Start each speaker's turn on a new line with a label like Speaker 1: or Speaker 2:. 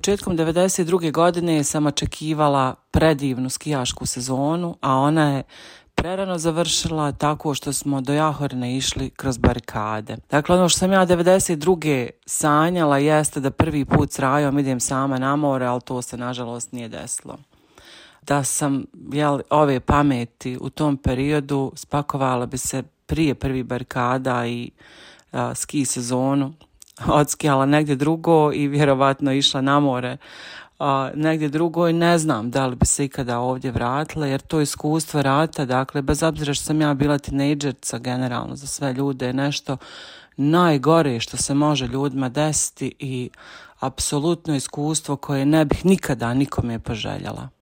Speaker 1: Početkom 92. godine sam očekivala predivnu skijašku sezonu, a ona je prerano završila tako što smo do Jahorne išli kroz barikade. Dakle, ono što sam ja 92. sanjala jeste da prvi put s Rajom idem sama na more, ali to se nažalost nije desilo. Da sam ove pameti u tom periodu, spakovala bi se prije prvih barikada i ski sezonu, odskijala negdje drugo i vjerovatno išla na more negdje drugo i ne znam da li bi se ikada ovdje vratila, jer to iskustvo rata, dakle, bez obzira što sam ja bila tinejdžerca, generalno za sve ljude je nešto najgore što se može ljudima desiti i apsolutno iskustvo koje ne bih nikada nikome poželjela.